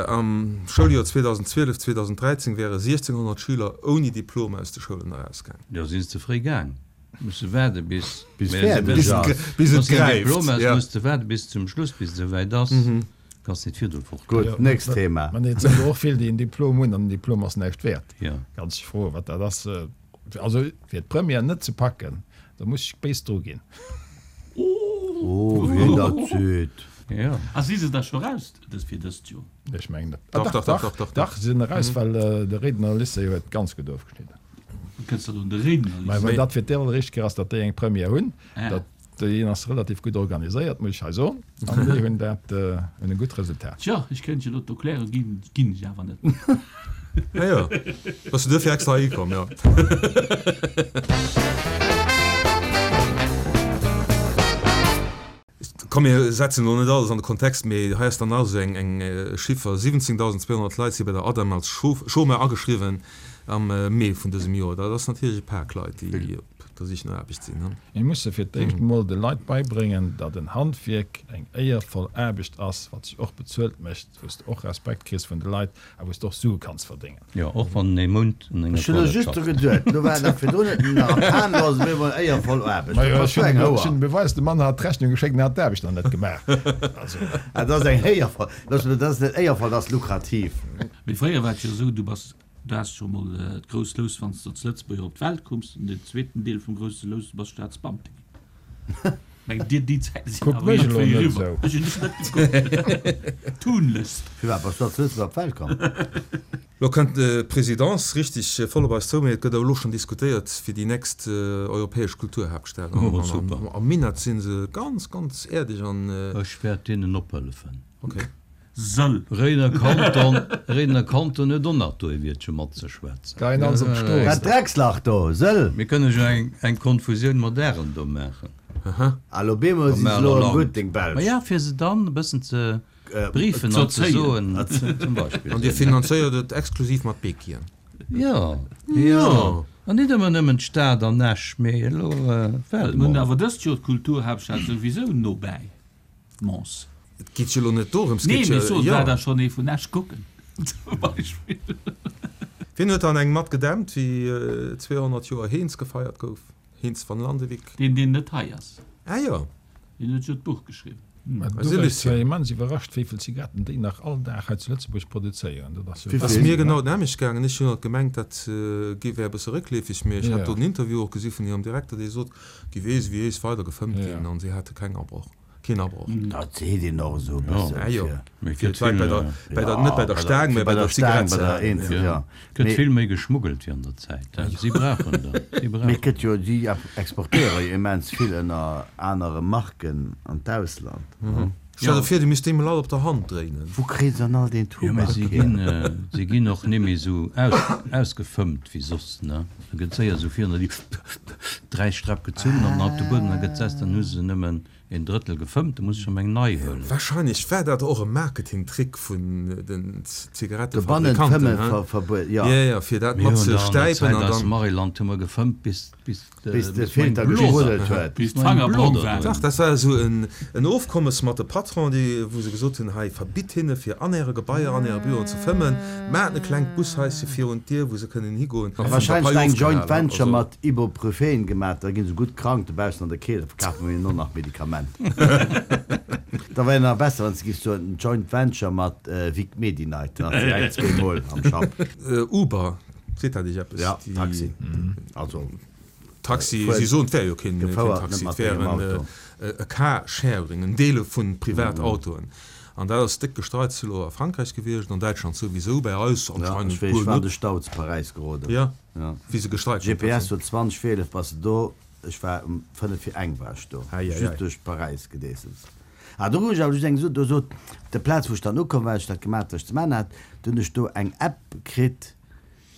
Am Schouljoer zweedausendzwielef, zweedausenddräizéng wäre siechzehnhonnert Schüler ouni Diplom aus de Schoulen erausgaang. Jo, sinn se ze fréi gaang. Muss de waarde bis Bis mä fäerdeg bis ass. Bis et wann s de en gräift, Diplom has, ja. muss de waarde bis zum Schluss, bis et esouwäit ass. Kanns net virdru fort. Gutt, nächst Thema. Mä et sinn der och vill, déi en Diplom hunn an den Diplom ass näischt wäert. Ja. Kanns dech froen, wat dat ass. Also fir d'Première net ze packen, da muss ech béis dru ginn. Oh, wien dat seet. Ja. A si se da scho raus dës fir dëst Joer? Ech mengen net. Dach, dach, dach, dach, dach. Dach, se sinn eraus, well de Réidener Lycée huet ganz gutt ofgeschnidden. Wéi kënns de un de Réidener Mä Lycée? well dat fir d'alleréischt Kéier ass, datt déi eng Première hunn, Ah. dat déi ass relativ gutt organiséiert, muss ech hei soen, an déi hunn dat hunn e gutt Resultat. Tja, ech kéint jo elo d'Erklärung ginn, ginn ech awer net. Ah jo, bass du duerfir extra heihi komm, jo. Komm mir setzen elo net alles an de Kontext, mee hei ass dann nach esou eng eng Chiffer, siwwenzéngdausend zweehonnert Leit si bei der ADEM als Chômeur ageschriwwen am Mee vun dësem Joer. Dat ass natierlech e Pak Leit, déi op der Sich no Aarbecht sinn. Mir musse fir d'éischt emol de Leit beibréngen, datt en Handwierk eng éiervoll Aarbecht ass, wat sech och bezuelt mécht, wou s de och Respekt kriss vun de Leit a wou s de och Sue kanns verdéngen. Jo, och wann en ee Mount an enger Ech hunn elo Toilette just dru schafft. geduet, lo war nach virdrun net nach am Pan, lo ass et op eemol éiervoll Aarbecht. Majo, Dat ech ass jo hunn eng ech Houer. hunn de Beweis, de Mann hat d'Rechnung geschéckt an hat d'Aarbecht nach net gemaach. Also. Ah, dat ass eng éiervoll, dat ass net éiervoll, dat ass lukrativ. Mee fréier war et jo esou, du bass, du has scho mol d'grousst Lous, wann s de als Lëtzebuerger op d'Welt koums, an den zweeten Deel vum grousse Lous, du bass Staatsbeamte ginn. Meng dir, déi Zäite sinn Kuck awer mech elo iergendwéi net eriwwer. esou. Ech hunn dech net gekuckt. Tunlechst. Firwat bass du als Lëtzebuerger op d'Welt komm? Lo kënnt d'Presidence richtig voll op eis zou, mee et gëtt awer elo schonn diskutéiert fir déi nächst europäesch Kulturhaaptstad. Oh, An super. am Minett si se ganz, ganz äerdeg an. Ech wäert deenen ophëllefen. Okay. Sëll. Réidener Kanton, Réidener Kanton huet och nach do e Wiertche matzeschwätzen. Geien alles op d'Strooss. Dat Dreckslach do, Sëll! Mir kënne jo eng, eng Konfusioun mat Ärel do maachen. Aha. Ah, lo bemol si se elo erëm gutt, deng Ma Belsch. ja, fir se dann e bëssen ze briefen Ze an ze erzéien. soen, zum Beispill. An Dir finanzéiert et exklusiv mat Béquien? Jo, jo. An nit ëmmer nëmmen d'Stad an Esch, mee elo Mir hunn Welt. awer dëst Joer d'Kulturhaaptstad souwisou nobäi, Mons. Et geet jo elo net dorëms, Nee, geet mee jo, soen, jo. war da schonn ee vun Esch kucken, zum Beispill. Wien huet dann eng mat gedämpt, wéi zweehonnert Joer Heens gefeiert gouf? Heens van Landewyck. Deen, deen net hei ass. Ah jo. Deen huet jo d'Buch geschriwwen. Mä Eise du wär Lucien. zwar immens iwwerrascht, wéi vill Zigaretten déi nach all Dag hei zu Lëtzebuerg produzéieren. Dat ass jo Wéi Ass vill? mir genau d'nämmlecht gaangen. Ech hunn alt gemengt, dat gi wär e bësse réckleefeg, mee ech hat Ja. do en Interview och gesi vun hirem Direkter, dee sot, gi weess wéi ees weider gefëmmt Ja. ginn an si hate keng Abroch. Keen Abroch. Dat seet een och esou e Ja. bëssen. Ah jo. fir- Mee Fir gëtt d'Leit bei vill, der, bei der, Ja, net bei der Staang, mee bei bei der der Staang, Zigarett bei ze der halen. eenzel, Ja. ja. Gëtt Mee- vill méi geschmuggelt wéi an der Zäit. Si brauchen dat. Si Mee brauchen. gëtt jo, déi exportéiere jo immens vill ënner anere Marken an d'Ausland. Stell der vir, du misst deem all op der Hand dréinen. Wou kréie se dann all deen Jo, mee Tubak si hier? ginn, si ginn och net méi esou aus, ausgefëmmt wéi soss, ne? Da gëtt séier esou virun der déi dräi Sträpp gezunn an op de Buedem da gëtt sess, dann hu se nëmmen een Drëttel gefëmmt, da muss ech erëm eng nei huelen. Wahrscheinlech war dat och e Marketingtrick vun den Dobannen Zigarettefabrikanten, fëmmen he? ver, verbuet, ja. Ja, ja, fir dat Mir mat hunn ze da an der stäipen Zäit an aus dann. Maryland hu mer gefëmmt bis, bis de, Bis de bis mer eng Filter Bloder geschruddelt huet. Bis bis mer eng d'Fanger brong Bloder waren. drin. Dach, dat war esou en, en Ofkommes mat de Patron, déi, wou se gesot hunn, hei, verbitt hinne fir an äre Gebaier, an äre Büroen ze fëmmen, maacht e klengt Bushaische virun d'Dier, wou se kënnen higoen. A wahrscheinlech eng Joint Venture mat Ibuprofen gemaach, da ginn se gutt krank dobaussen an der Keelt, da verkafe mir hinnen och nach Medikamenter. Da wär nach besser, wann s de giffs soen, en Joint Venture mat Vic Medi-Night, dann ass direkt zwee Mol am Schapp. Uber, seet dat iech eppes? Ja, Déi Taxi. Also. Taxi, si soen, et wär jo keen Taxi, et wär e Car-Sharing, en Deele vu Privatautoen. An dat ass déck Gestreits elo a Frankräich gewiescht, an Däitschland souwisou, bäi eis anscheinend guer net. Ech war an de Stau zu Paräis geroden. Jo, wéi se gestreikt hunn. G P S sot zwanzeg vir eelef bass de do, ech war um fënnef vir eng war ech do, just duerch Paräis gedeesselt. Ah, do hunn ech awer just eng gesot, do sot op der Plaz wou ech dann ukomm war, ech dat gemaat wat ech ze man hat, do hunn ech do eng App kritt,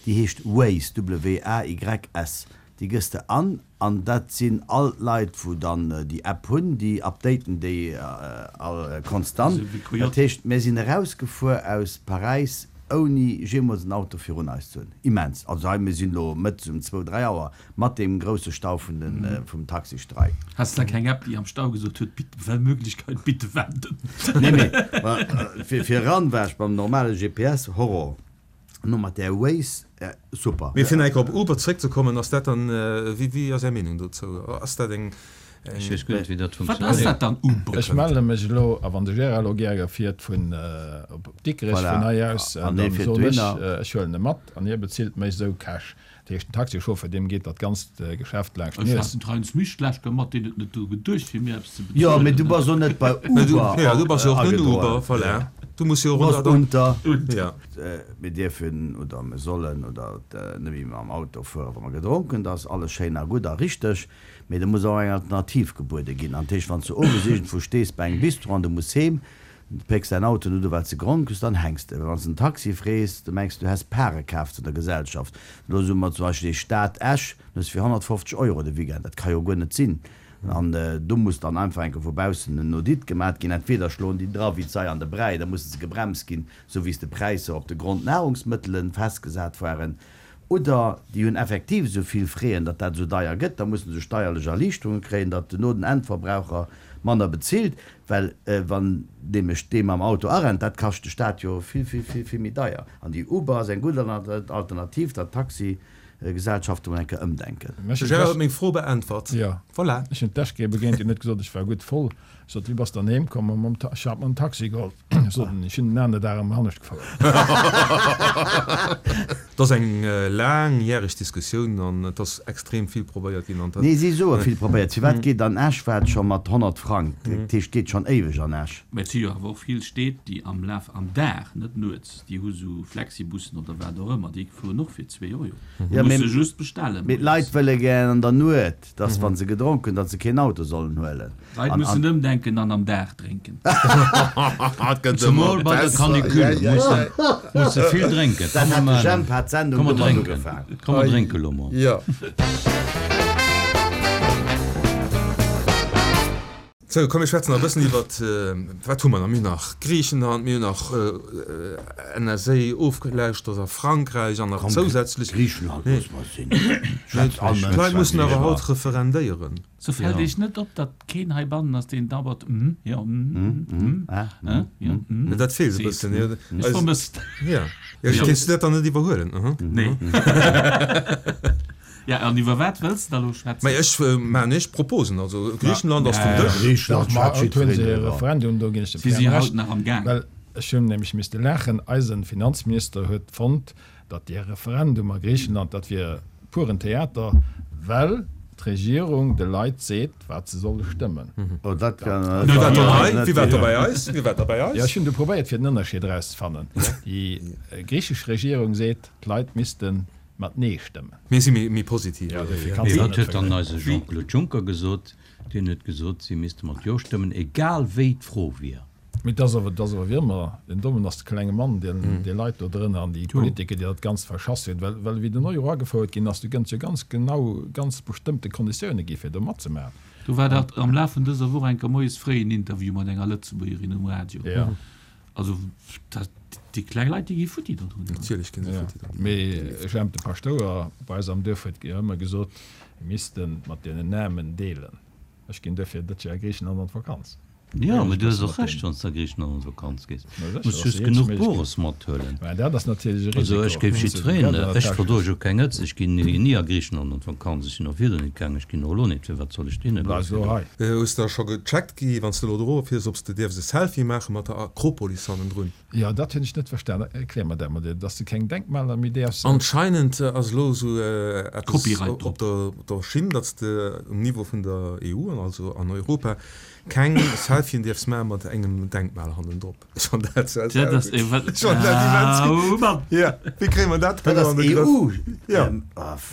déi heescht Waze, W A Y S, déi gëss de an, an dat sinn all d'Leit wou dann déi App hunn, déi updaten déi all konstant. Esou wéi Dat Coyote. heescht, mir sinn erausgefuer aus Paräis ouni jeemools en Auto virun eis ze hunn. Immens. Also hei, mir sinn elo mëttes um zwou, dräi Auer, mat deem grousse Stau vun den, vum Taxistreik. Has de da keng App, déi am Stau gesot huet, Bitte, wenn Möglichkeit, bitte wenden? Nee, mee fir, fir eran war ech beim normale G P S, Horror. No mat där Waze, super. Mee fir nach eng Kéier op Uber zeréckzekommen, ass dat dann, wéi, wéi ass Är Meenung dozou? Ass dat eng, Ech weess guer net, wéi dat Wat ass funktionéiert. dat dann, Uber? Ech melle mech elo, a wann de Gérard elo gäre fiert vun op Dikrech Voilà, vun hei aus, an hie dann fiert soen ech, dohinner. ech huelen e mat an hie bezilt mech esou cash. Dat heescht, den Taxichauffeur, deem geet dat ganzt Geschäft laanscht Ech d'Nues. hat den Heinz Misch d'lescht Kéier mat, deen huet net dru geduecht, fir mir eppes ze Jo, mee bezuelen. du bass och net bei Mä du, Uber ja, du bass jo och net agedroen. Uber, voilà. Du muss jo Du och bass unter. Ja. Mir dierfen oder mir sollen oder net méi mam Auto fueren, wa mer gedronk hunn. Dat ass alles schéin a gutt a richteg, mee do muss och eng Alternativ gebuede ginn. An dat heescht, wann s du owes iergendwou stees bei engem Bistro an du muss heem, du pécks däin Auto net u well s de gedronk hues, dann hänks de. Wann s de en Taxi frees, du mengs du häss Pare kaf zu der Gesellschaft. Elo soe mer zum Beispill déi Stad Esch, du hues fir honnertfofzeg Euro de Weekend, dat ka jo guer net sinn. An do muss dann einfach eng Kéier vu baussen en Audit gemat ginn. Entweder schloen déi dra wéi d'Sei an de Bräi, da musse se gebremst ginn, esou wéi s de Präisser op de Grondnahrungsmëttelen festgesat waren, oder déi hunn effektiv esou vill Fräen, datt dat esou deier gëtt, da musse se steierlech Erliichterunge kréien, datt duerno den Endverbraucher manner bezilt, well wann nämlech dee mam Auto arennt, dat kascht de Staat jo vill, vill, vill, vill méi deier. An déi Uber ass eng gutt Alternativ, datt d'Taxigesellschaften mol eng Kéier ëmdenken. De Gérard huet meng Fro beäntwert. Jo. Voilà. Ech hunn d'Täsch begéint, déi huet gesot, ech war gutt voll. Ech sot, wéi bass dann heem komm? Mam Ta, ech hat mer en Taxi geholl. Ech sot, ech hunn den anere Dag erëm anescht gefouert. Et ass eng laangjäreg Diskussioun an et ass extrem vill probéiert ginn an dat. Nee, si soe vill probéiert. Firwat geet an Esch war et scho mat honnert Frang? Dat heescht, et geet schonn éiweg an Esch. Mä et si jo awer och vill Stéit, déi am Laf am Dag, net nuets, déi hu sou Flexibussen oder wat och ëmmer, déi fueren och fir zwee Euro. Ja, Du mee muss se just bestellen mee d'Leit moies. wëlle gären an der Nuet, dass wa se gedronk hunn, datt se keen Auto sollen huelen. D'Leit An, mussen an. ëmdenken an am Dag drénken. Et gëtt Zemol ëmmer bei der besser. Canicule Ja, ja, muss ja. de, muss de vill drénken. Dat Komm mer hat de maachen, Jemp hat d'Sendung komm mer domat drénken, ugefaang. komm mer drénke lo mol. Ja. Sou, komm mir schwätzen nach e bëssen iwwert, wat hu mer nach? Mir hunn nach Griichenland, mir hunn nach N S A ofgelauschtert a Frankräich an nach Komm, zousätzlech. Griichenland Nee. loosse mer sinn. Schwätzt all Mënsch D'Leit wat mussen si awer haut wëllen. referendéieren. Sou fällt Ja. Iech net op, datt keen heibannen ass, deen dauernd mm, jo, mm, Mm, mm, mm, ah, äh, mm, jo, mm. mm Dat feelt e seet. bëssen, jo. Ech Eis, vermësst. ja. Ja, Jo. kéints du dat dann net iwwerhuelen? Aha. Nee. Ja, an iwwer wat wëlls de da lo Mä schwätzen? ech maachen ech Proposen. Also Griichenland ass vum Ja, ja. Dësch. Griichenland Doch, ma schwätzt haut hunn se jiddwereen e driwwer. Referendum, do ginn ech dem Si si Pierre haut Recht, nach am Gaang. well ech hunn nämlech misste laachen, eisen Finanzminister huet fonnt, datt dee Referendum a Griichenland, dat wier puren Theater, well d'Regierung de Leit seet, wat se solle stëmmen. Oh, dat kann, Wie war dat da kann hei? net Wie war da sinn. bei eis? Wie war da bei Ja, eis? ech hunn du probéiert, fir den Ënnerscheed erauszefannen. Déi griichesch Regierung seet, d'Leit misste mat Nee stëmmen. Mir si méi, méi positiv. Ja, dofir Ja. kanns Mee du wat net huet dann vergläichen. eise Jean-Claude Juncker gesot? Deen huet gesot, si misste mat Jo stëmmen, egal wéi d'Fro wier. Mee dat ass awer, dat ass awer wéi ëmmer, den Dommen ass de klenge Mann, deen déi Leit do drënner an déi Politiker, déi dat Ganzt verschass hunn. Well, well wéi den Euro agefouert ginn ass, du gënns jo ganz genau ganz bestëmmte Konditioune gi fir do matzemaachen. Do war dat am Laf vun dëser Woch enker moies fréi en Interview mat enger Lëtzebuergerin um Radio. Ja. Also dat, déi kleng Leit, déi gi futti dodrun. Natierlech ginn se Ja. futti dodrun. Mee Jemp, de Paschtouer bei eis am Duerf huet ëmmer gesot, mir misste mat deenen Aarmen deelen. Ech ginn duerfir dëst Joer a Griichenland an d'Vakanz. Jo, mee du hues och Recht, wann s de a Griichenland an d'Vakanz gees. Muss just genuch Bores mathuelen. Mä dat ass natierlech e Risiko. Also ech géif jiddwereen, ech verdroe jo keng Hëtzt, ech ginn ni a Griichenland an d'Vakanz, ech sinn och virdrun net gaangen, ech ginn och elo net, firwat soll ech deene Bleifs elo hei. Hues de scho gecheckt Guy, wann s de elo do fiers, ob s de dierfs e Selfie maache mat der Akropolis hannendrun? Jo, dat hunn ech net verstan. Erklär mer dat mol, dass de keng Denkmaler méi däerfs. Anscheinend ass elo esou eppes op der Schinn, datt s de um Niveau vun der EU, also an Europa, Keng Selfien dierfs maachen mat engem Denkmal hannendrop. Ech fann dat Dat ass gutt. Ech fann dat immens gutt. Oh Mann! Ja, wéi kréie mer dat Dat ass an de Grëff? EU. Ja.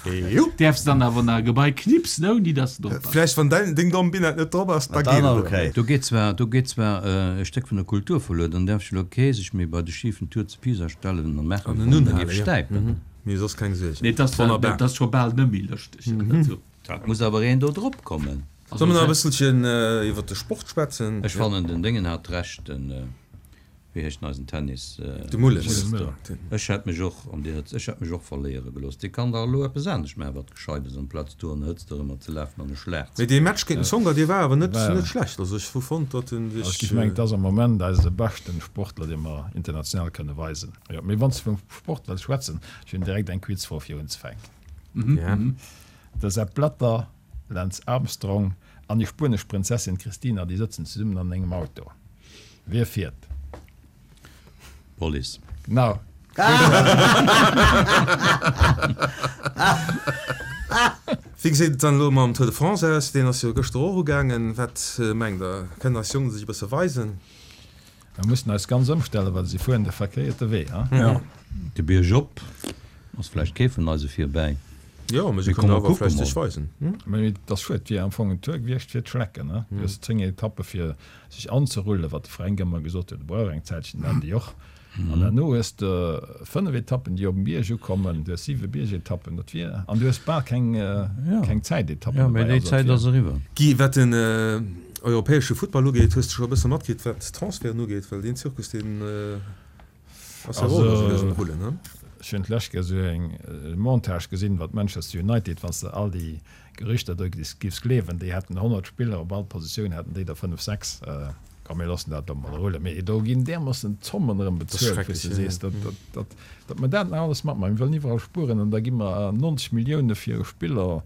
EU. Däerfs dann awer nach e Gebai knipsen ouni dass se drop ass. Vläicht wann däin, deng domm Binette net drop ass, da Dann geet et okay. erëm. Do geet zwar, do geet zwar e Stéck vun der Kultur verluer. Dann däerf ech elo kee sech méi bei de schifen Tour zu Pisa stellen a maachen, An wéi en wann en unhalen, géif ja. stäipen. Mee soss keng Suergen. Nee, dat ass, Wonnerbar. dat ass scho bal net méi lëschteg. Dat muss awer een do drop kommen. Solle mer nach e bësselchen iwwer de Sport schwätzen? Ech fannen den Déngen hat Recht, den, wéi heescht en, eisen Tennis, De Mulles. Ech hätt mech och an déi Hëtzt, ech hätt mech och verléiere gelooss. Dee kann dach elo eppes anescht maachen, wat gescheit ass, amplaz do an der Hëtzt erëmmer ze lafen an e Schlag ze Mee dee Match géint den Tsonga, dee war awer net, net schlecht. Also ech hu fonnt, datt en Also ech sech. géif mengen, et ass am Moment eise beschten Sportler, dee mer international kënne weisen. Jo, mee wann s de vum Sport wëlls schwätzen, ech hunn direkt eng Quizfro fir unzefänken. Ja. De Sepp Blatter Lance Armstrong an déi spuenesch Prinzessin Cristina, déi sëtzen zesummen an engem Auto. Wie fiert? Police. Genau. Wéi geséit et dann elo mam Tour de France aus? Deen ass jo gëschter och ugaangen. Wat mengt der, kënnen eis Jongen sech e bësse weisen? Mer mussen eis ganz ëmstellen, well si fueren de verkéierte Wee. Jo, de Bierg op ass vläicht kee vun eise virbäi. Jo, mee se kënnen awer vläicht sech weisen. Mee et ass schued, et wier am Fong en Tour gewiescht fir d'Schlecken. Du hues zéng Etappe fir sech anzerullen, wat de Fränk ëmmer gesot huet, e brauch eng Zäitchen, dat déi och. An herno hues de fënnef Etappen, déi op dem Bierg ukommen, du hues siwe Biergetappen, dat wier, an du hues bal keng, keng Zäitetappen Jo, mee dobäi. déi Zäit ass eriwwer. Guy, wat den europäesche Futtball ugeet, hues de scho e bësse matkritt, wat d'Transferten ugeet? Well deen Zirkus, deen ass jo och elo sou lues um Rullen, ne? Ech hunn d'lescht Kéier esou eng Montage gesinn iwwer Manchester United, wann s de all déi Gerüchter do giffs gleewen, déi hätten honnert Spiller, op all Positioun hätten déi der fënnef, sechs. Komm mir loossen dat elo mol rullen. Mee do ginn därmoossen Zommen erëm Dat ass bezuelt, wou s schrecklech, de jo. sees, datt, datt, datt mer dat nach alles matmaachen. Mir wëllen iwwerall spueren an da gi mer neunzeg Millioune fir e Spiller,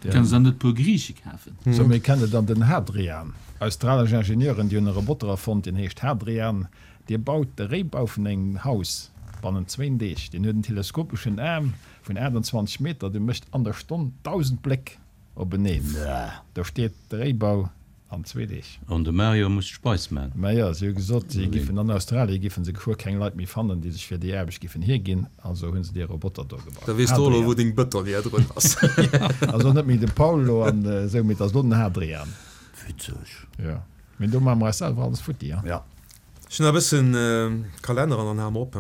Kënnen se dann net e puer Griiche kafen? Sou, mir kennen dann den Hadrian. Australesch Ingenieuren, déi hunn e Roboter erfonnt, deen heescht Hadrian. Dee baut de Réibau vun engem Haus bannent zwéin Deeg. Deen huet en teleskopeschen Aarm vun aachtundzwanzeg Meter, dee mécht an der Stonn dausend Bléck openeen. Do steet de Réibau an zwee Deeg. An de Mario muss d'Speis man. Majo, si hu gesot, si giffen an Australie giffen se geschwë keng Leit méi fannen, déi sech fir déi Aarbecht giffen hierginn. Also hu se dee Roboter do gebaut. Da weess de och elo, Hadrian. wou deng Bëtonnière drun ass. Also net méi de Paulo an esou, mee et ass elo den Hadrian. Witzeg. Jo, mee do maache mer eis selwer alles futti, ha? Ja. Ech hunn nach e bëssen Kalenner an dann hale mer op.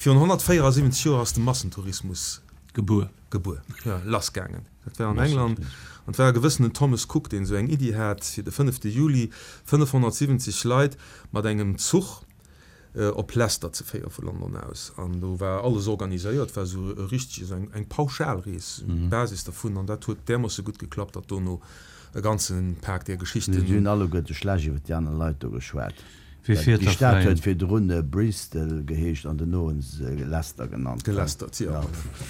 Virun honnertvéierasiwwenzeg Joer ass de Massentourismus Gebuer. gebuer, jo, lassgaangen. Dat war an England an et war e gewëssenen Thomas Cook, deen esou eng Iddi hat, fir de fënnefte Juli fënnefhonnertsiwwenzeg Leit mat engem Zuch op Leicester ze féiere vu London aus. An do war alles organiséiert, war esou e richteg, esou eng, eng Pauschalrees, Basis dervun. An dat huet därmoosse gutt geklappt, datt dono e ganze Pak där Si Geschichten. hunn alleguerte schlecht iwwer déi aner Leit do geschwat. Wie fiert Déi da Stad fräi? huet virdrun Bristol geheescht an dono hunn se se Leicester genannt. Gelästert, jo. Ja,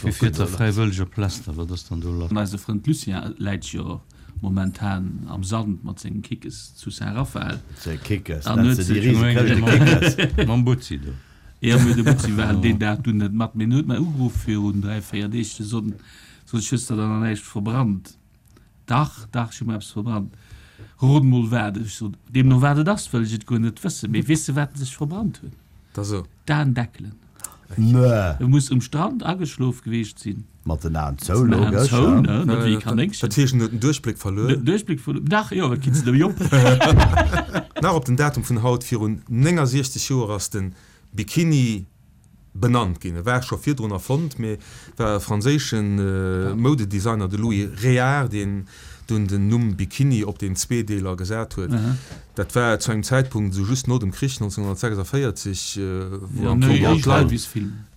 Wie fiert da fräiwëlleg op Leicester? Wat ass dann do lass? An eise Frënd Lucien läit jo momentan am Sand mat sengem Kickes zu Saint-Raphaël. Ze Kickes, An nennt huet se déi sech rise Këschte Kickes. Mam Butzi do. Jo, mee de Butzi war deen Dag dunn net mat. Mee en huet mer ugeruff virun dräi, véier Deeg, ze soen, Sot ech, hues de dann nach näischt verbrannt? Dach, dach, ech hu mer eppes verbrannt. Rot mol wat. Ech sot, deemno wat et ass, wëll ech et guer net wëssen. Mee weess de wat en sech verbrannt huet? Da so. D'Aendeckelen. Nö. E muss um Strand ageschlof geweecht sinn. Mat den Aen zou, Mat den Aen logesch, zou, ja. ne, net wéi e Kanéngchen. Dat heescht, en huet den Duerchbléck verluer. Den Duerchbléck verluer. Dach, jo, wat kinns de dem Jop? Nach op den Datum vun haut virun néngasiechzeg Joer ass de Bikini benannt ginn. E war scho virdrun erfonnt, mee et war e franséische Moudedesigner, de Louis Réard, deen dunn den Numm Bikini op deen Zweedeeler gesat huet. Dat war zu engem Zäitpunkt, esou just no dem Krich nonzénhunnertsechsundvéierzeg, wou am Fong all d'Leit,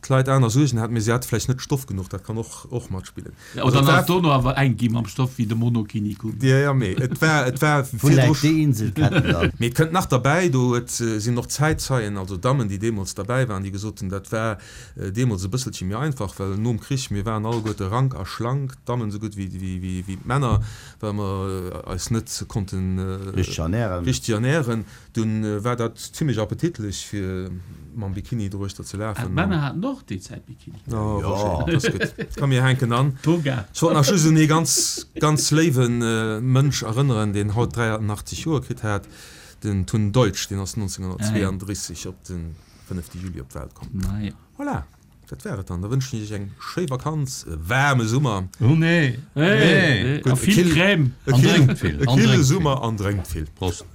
d'Leit aner Suergen haten, mee si hate vläicht net Stoff genuch, dat kann och och matspillen. Ja, oder dann ass dono awer enk gi mam Stoff wéi de Monokini koum. Ja, ja, mee et war, et war Wou läit déi Insel Ketten dann? Mee et kënnt nach derbäi, do et sinn och Zäitzeien, also Dammen, déi deemools derbäi waren, déi gesot hunn, dat war deemools e bësselche méi einfach, well nom Krich, mir waren alleguerte rank a schlank, d'Dammen esou gutt wéi, wéi, wéi d'Männer, well mer eis net konnten Richteg ernären. richteg ernären. Dunn war dat zimlech appetitlech fir mam Bikini doruechter ze Ah, lafen. d'Männer haten och déi Zäit Bikini. Oh, Roger, dat ass gutt. Komm, mir hänken an. Toga. Ech wollt nach just un ee ganz, ganz léiwe Mënsch erënneren, deen haut dräianachtzeg Joer kritt hat, den Tun Deutsch, deen ass nonzénghunnertzweeanddrisseg op de fënnefte Juli op d'Welt komm. Naja. Voilà, dat war et dann. Da wënschen ech iech eng schéi Vakanz, e waarme Summer. Oh nee, nee. A vill Crème. E An drénkt vill, e an kille drénkt vill. Summer an drénkt vill. Prost.